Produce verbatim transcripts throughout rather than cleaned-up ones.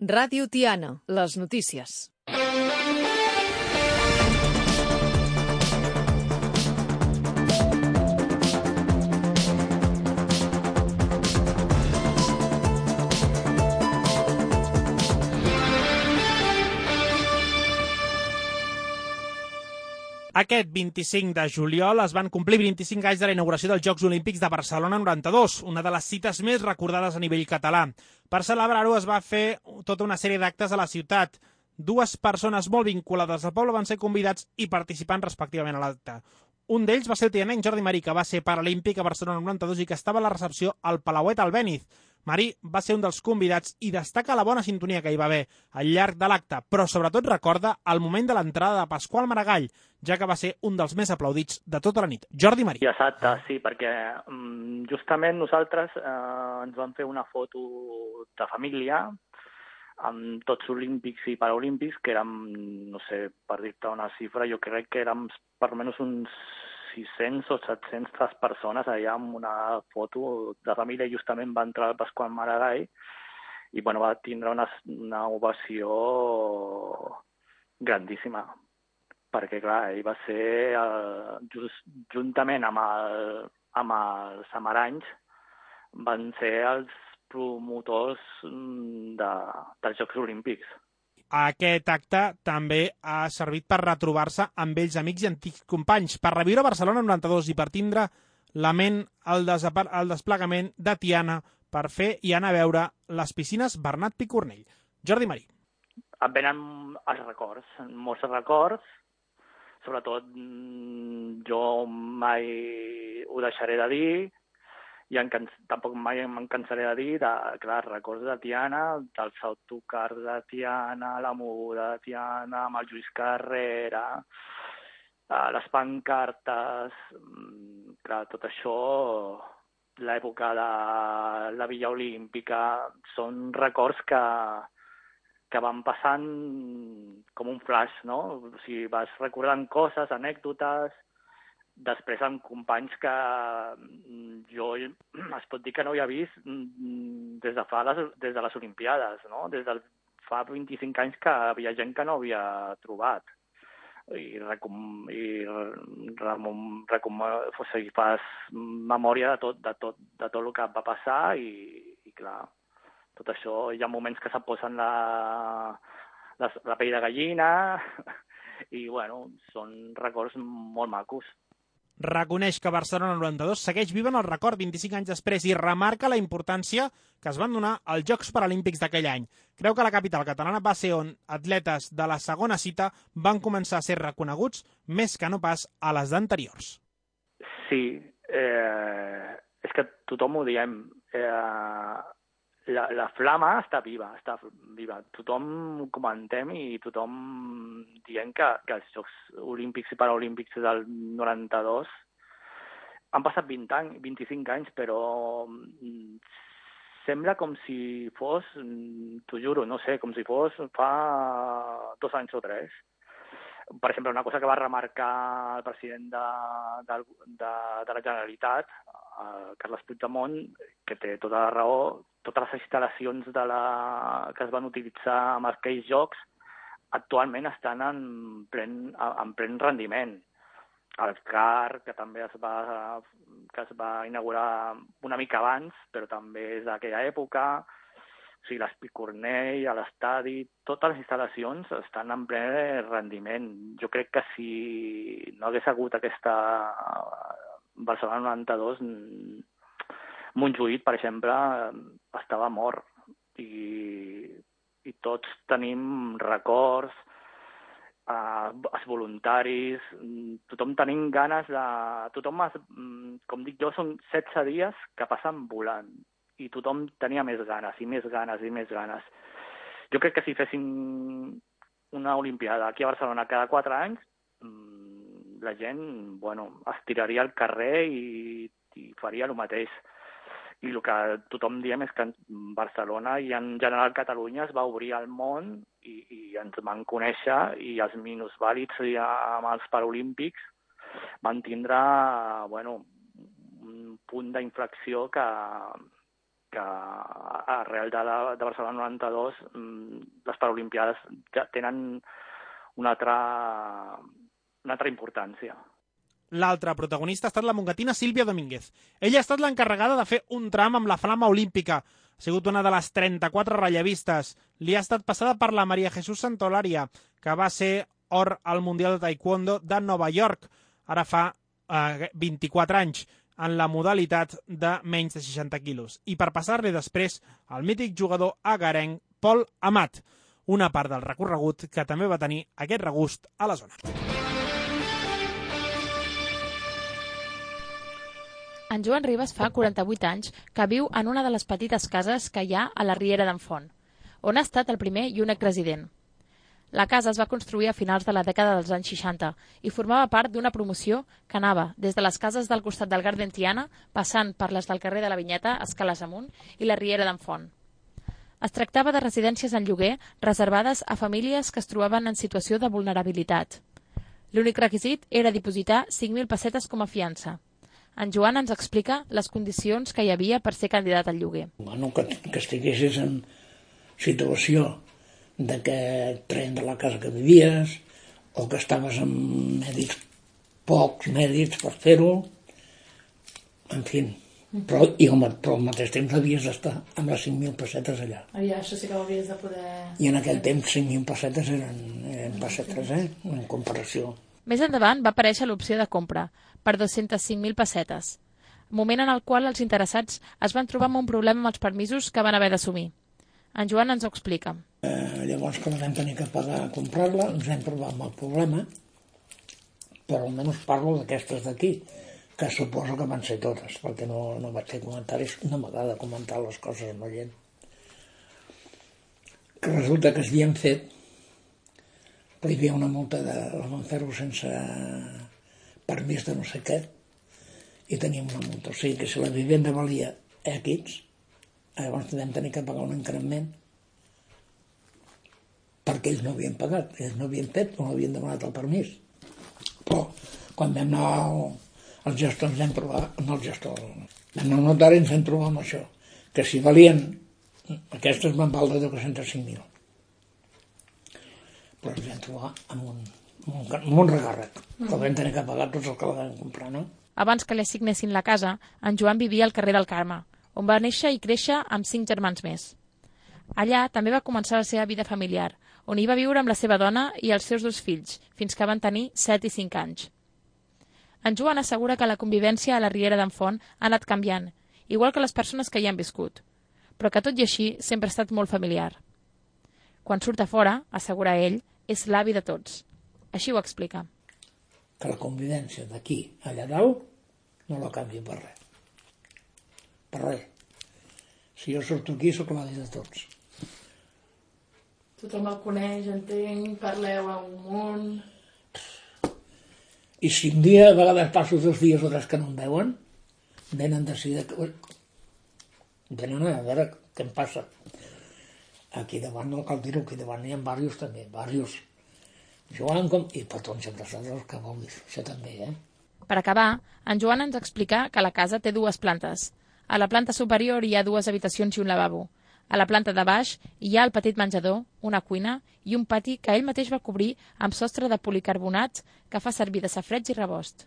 Ràdio Tiana, les notícies. Aquest vint-i-cinc de juliol es van complir vint-i-cinc anys de la inauguració dels Jocs Olímpics de Barcelona noranta-dos, una de les cites més recordades a nivell català. Per celebrar-ho es va fer tota una sèrie d'actes a la ciutat. Dues persones molt vinculades al poble van ser convidats i participant respectivament a l'acte. Un d'ells va ser el tianenc Jordi Marí, que va ser paralímpic a Barcelona noranta-dos i que estava a la recepció al Palauet Albéniz. Marí va ser un dels convidats i destaca la bona sintonia que hi va haver al llarg de l'acte, però sobretot recorda el moment de l'entrada de Pasqual Maragall, ja que va ser un dels més aplaudits de tota la nit. Jordi Marí. Exacte, sí, perquè justament nosaltres eh, ens vam fer una foto de família amb tots olímpics i paraolímpics, que érem, no sé, per dir-te una xifra, jo crec que érem per almenys uns sis-cents o set-centes persones allà amb una foto de família, i justament va entrar el Pasqual Maragall i bueno, va tindre una, una ovació grandíssima, perquè clar, ell va ser, eh, just, juntament amb, el, amb els amaranys, van ser els promotors de, dels Jocs Olímpics. Aquest acte també ha servit per retrobar-se amb vells amics i antics companys, per reviure Barcelona noranta-dos i per tindre la ment el, el desplegament de Tiana per fer i anar a veure les piscines Bernat Picornell. Jordi Marí. Et venen els records, molts records, sobretot jo mai ho deixaré de dir, i en, tampoc mai me'n cansaré de dir, de, clar, records de Tiana, dels autocars de Tiana, la moguda de Tiana, amb el Lluís Carrera, les pancartes, clar, tot això, l'època de la Villa Olímpica, són records que, que van passant com un flash, no? O sigui, vas recordant coses, anècdotes. Després amb companys que jo es pot dir que no havia vist des de fa les, des de les Olimpiades, no? Des de fa vint-i-cinc anys que havia gent que no havia trobat. I, recom, i recom, recom, o sigui, fas memòria de tot, de, tot, de tot el que va passar i, i clar, tot això, hi ha moments que se posen la, la, la pell de gallina i bueno, són records molt macos. Reconeix que Barcelona noranta-dos segueix viva en el record vint-i-cinc anys després i remarca la importància que es van donar als Jocs Paralímpics d'aquell any. Creu que la capital catalana va ser on atletes de la segona cita van començar a ser reconeguts més que no pas a les d'anteriors. Sí, eh, és que tothom ho diem. Eh, la, la flama està viva, està viva. Tothom comentem i tothom dient que, que els Jocs Olímpics i Paraolímpics del noranta-dos han passat vint anys, vint-i-cinc anys, però sembla com si fos, t'ho juro, no sé, com si fos fa dos anys o tres. Per exemple, una cosa que va remarcar el president de, de, de, de la Generalitat, Carles Puigdemont, que té tota la raó, totes les instal·lacions de la, que es van utilitzar en aquells jocs actualment estan en plen, en plen rendiment. El C A R, que també es va, que es va inaugurar una mica abans, però també és d'aquella època, o sigui, l'Espicornell, a l'estadi, totes les instal·lacions estan en ple rendiment. Jo crec que si no hagués hagut aquesta Barcelona noranta-dos, Montjuïc, per exemple, estava mort i, i tots tenim records, eh, els voluntaris, tothom tenim ganes de... Tothom, es, com dic jo, són setze dies que passen volant i tothom tenia més ganes i més ganes i més ganes. Jo crec que si fessin una Olimpiada aquí a Barcelona cada quatre anys, la gent, bueno, es tiraria al carrer i, i faria el mateix. I el que tothom diem és que en Barcelona i en general Catalunya es va obrir al món i, i ens van conèixer i els minusvàlids amb els Paralímpics van tindre, bueno, un punt d'inflexió que, que arrel de, la, de Barcelona noranta-dos les Paralimpiades ja tenen una altra, una altra importància. L'altra protagonista ha estat la mongatina Sílvia Domínguez. Ella ha estat l'encarregada de fer un tram amb la flama olímpica. Ha sigut una de les trenta-quatre rellevistes. Li ha estat passada per la Maria Jesús Santolaria, que va ser or al Mundial de Taekwondo de Nova York, ara fa eh, vint-i-quatre anys, en la modalitat de menys de seixanta quilos. I per passar-li després al mític jugador agarenc Pol Amat, una part del recorregut que també va tenir aquest regust a la zona. En Joan Ribas fa quaranta-vuit anys que viu en una de les petites cases que hi ha a la Riera d'en Font, on ha estat el primer i únic resident. La casa es va construir a finals de la dècada dels anys seixanta i formava part d'una promoció que anava des de les cases del costat del Garden Tiana, passant per les del carrer de la Vinyeta, escales amunt, i la Riera d'en Font. Es tractava de residències en lloguer reservades a famílies que es trobaven en situació de vulnerabilitat. L'únic requisit era dipositar cinc mil pessetes com a fiança. En Joan ens explica les condicions que hi havia per ser candidat al lloguer. Bueno, que, que estiguessis en situació de que et treien de la casa que vivies, o que estaves amb mèdics, pocs mèdics per fer-ho, en fi. Però, i al, però al mateix temps havies d'estar amb les cinc mil pessetes allà. Ja, això sí que ho havies de poder... I en aquell temps cinc mil pessetes eren, eren pessetes, eh? En comparació. Més endavant va aparèixer l'opció de compra, per dues-centes cinc mil pessetes, moment en el qual els interessats es van trobar amb un problema amb els permisos que van haver d'assumir. En Joan ens ho explica. Eh, llavors, quan vam tenir que pagar a comprar-la, ens vam trobar amb el problema, però almenys parlo d'aquestes d'aquí, que suposo que van ser totes, perquè no, no vaig fer comentaris, no m'agrada comentar les coses amb la gent. Que resulta que s'havien fet, però hi havia una multa de la van fer-ho sense permís de no sé què, i teníem una multa. O sigui que si la vivenda valia X, llavors vam tenir que pagar un increment perquè ells no havien pagat, ells no havien fet, no havien demanat el permís. Però quan vam anar al, al gestor ens vam trobar, no el gestor, vam anar al notari ens vam trobar amb això, que si valien, aquestes van valdre dos-cents cinc mil. Però ens vam trobar amb un, amb un, amb un regàrrec, que vam tenir que pagar tots els que la vam comprar, no? Abans que li assignessin la casa, en Joan vivia al carrer del Carme, on va néixer i créixer amb cinc germans més. Allà també va començar la seva vida familiar, on hi va viure amb la seva dona i els seus dos fills, fins que van tenir set i cinc anys. En Joan assegura que la convivència a la Riera d'en Font ha anat canviant, igual que les persones que hi han viscut, però que tot i així sempre ha estat molt familiar. Quan surt a fora, assegura ell, és l'avi de tots. Així ho explica. Que la convivència d'aquí allà dalt no la canvia per res. Per res. Si jo surto aquí, sóc l'avi de tots. Tothom el coneix, entenc, parleu a un munt... I si un dia, a vegades passo dos dies o tres que no em veuen, venen de seguida... Venen a veure què em passa. Aquí davant, no cal dir-ho, aquí davant hi ha diversos també, diversos. Joan, com... i petons i abraçadors que vulguis, això també, eh? Per acabar, en Joan ens explica que la casa té dues plantes. A la planta superior hi ha dues habitacions i un lavabo. A la planta de baix hi ha el petit menjador, una cuina i un pati que ell mateix va cobrir amb sostre de policarbonats que fa servir de safareig i rebost.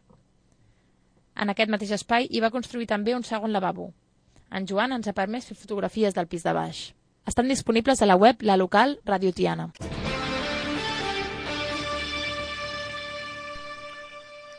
En aquest mateix espai hi va construir també un segon lavabo. En Joan ens ha permès fer fotografies del pis de baix. Estan disponibles a la web La Local Radio Tiana.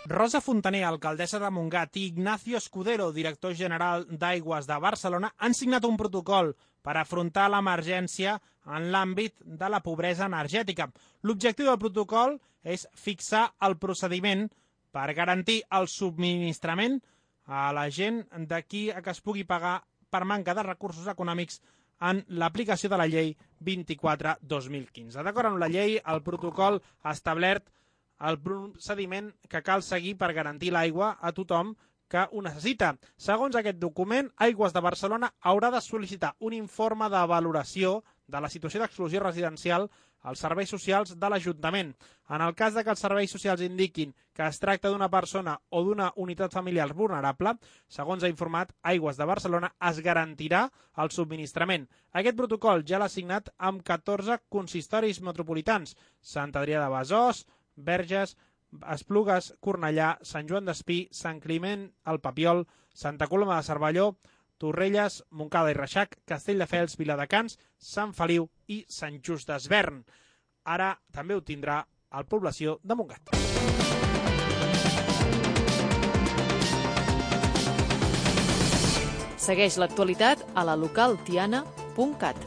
Rosa Fontaner, alcaldessa de Montgat, i Ignacio Escudero, director general d'Aigües de Barcelona, han signat un protocol per afrontar l'emergència en l'àmbit de la pobresa energètica. L'objectiu del protocol és fixar el procediment per garantir el subministrament a la gent d'aquí a que es pugui pagar per manca de recursos econòmics en l'aplicació de la llei vint-i-quatre dos mil quinze. D'acord amb la llei, el protocol ha establert el procediment que cal seguir per garantir l'aigua a tothom que ho necessita. Segons aquest document, Aigües de Barcelona haurà de sol·licitar un informe de valoració de la situació d'exclusió residencial als serveis socials de l'Ajuntament. En el cas de que els serveis socials indiquin que es tracta d'una persona o d'una unitat familiar vulnerable, segons ha informat Aigües de Barcelona, es garantirà el subministrament. Aquest protocol ja l'ha signat amb catorze consistoris metropolitans: Sant Adrià de Besòs, Verges, Esplugues, Cornellà, Sant Joan d'Espí, Sant Climent, el Papiol, Santa Coloma de Cervelló, Torrelles, Montcada i Reixac, Castelldefels, Viladecans, Sant Feliu i Sant Just Desvern. Ara també ho tindrà el població de Montgat. Segueix l'actualitat a la local tiana punt cat.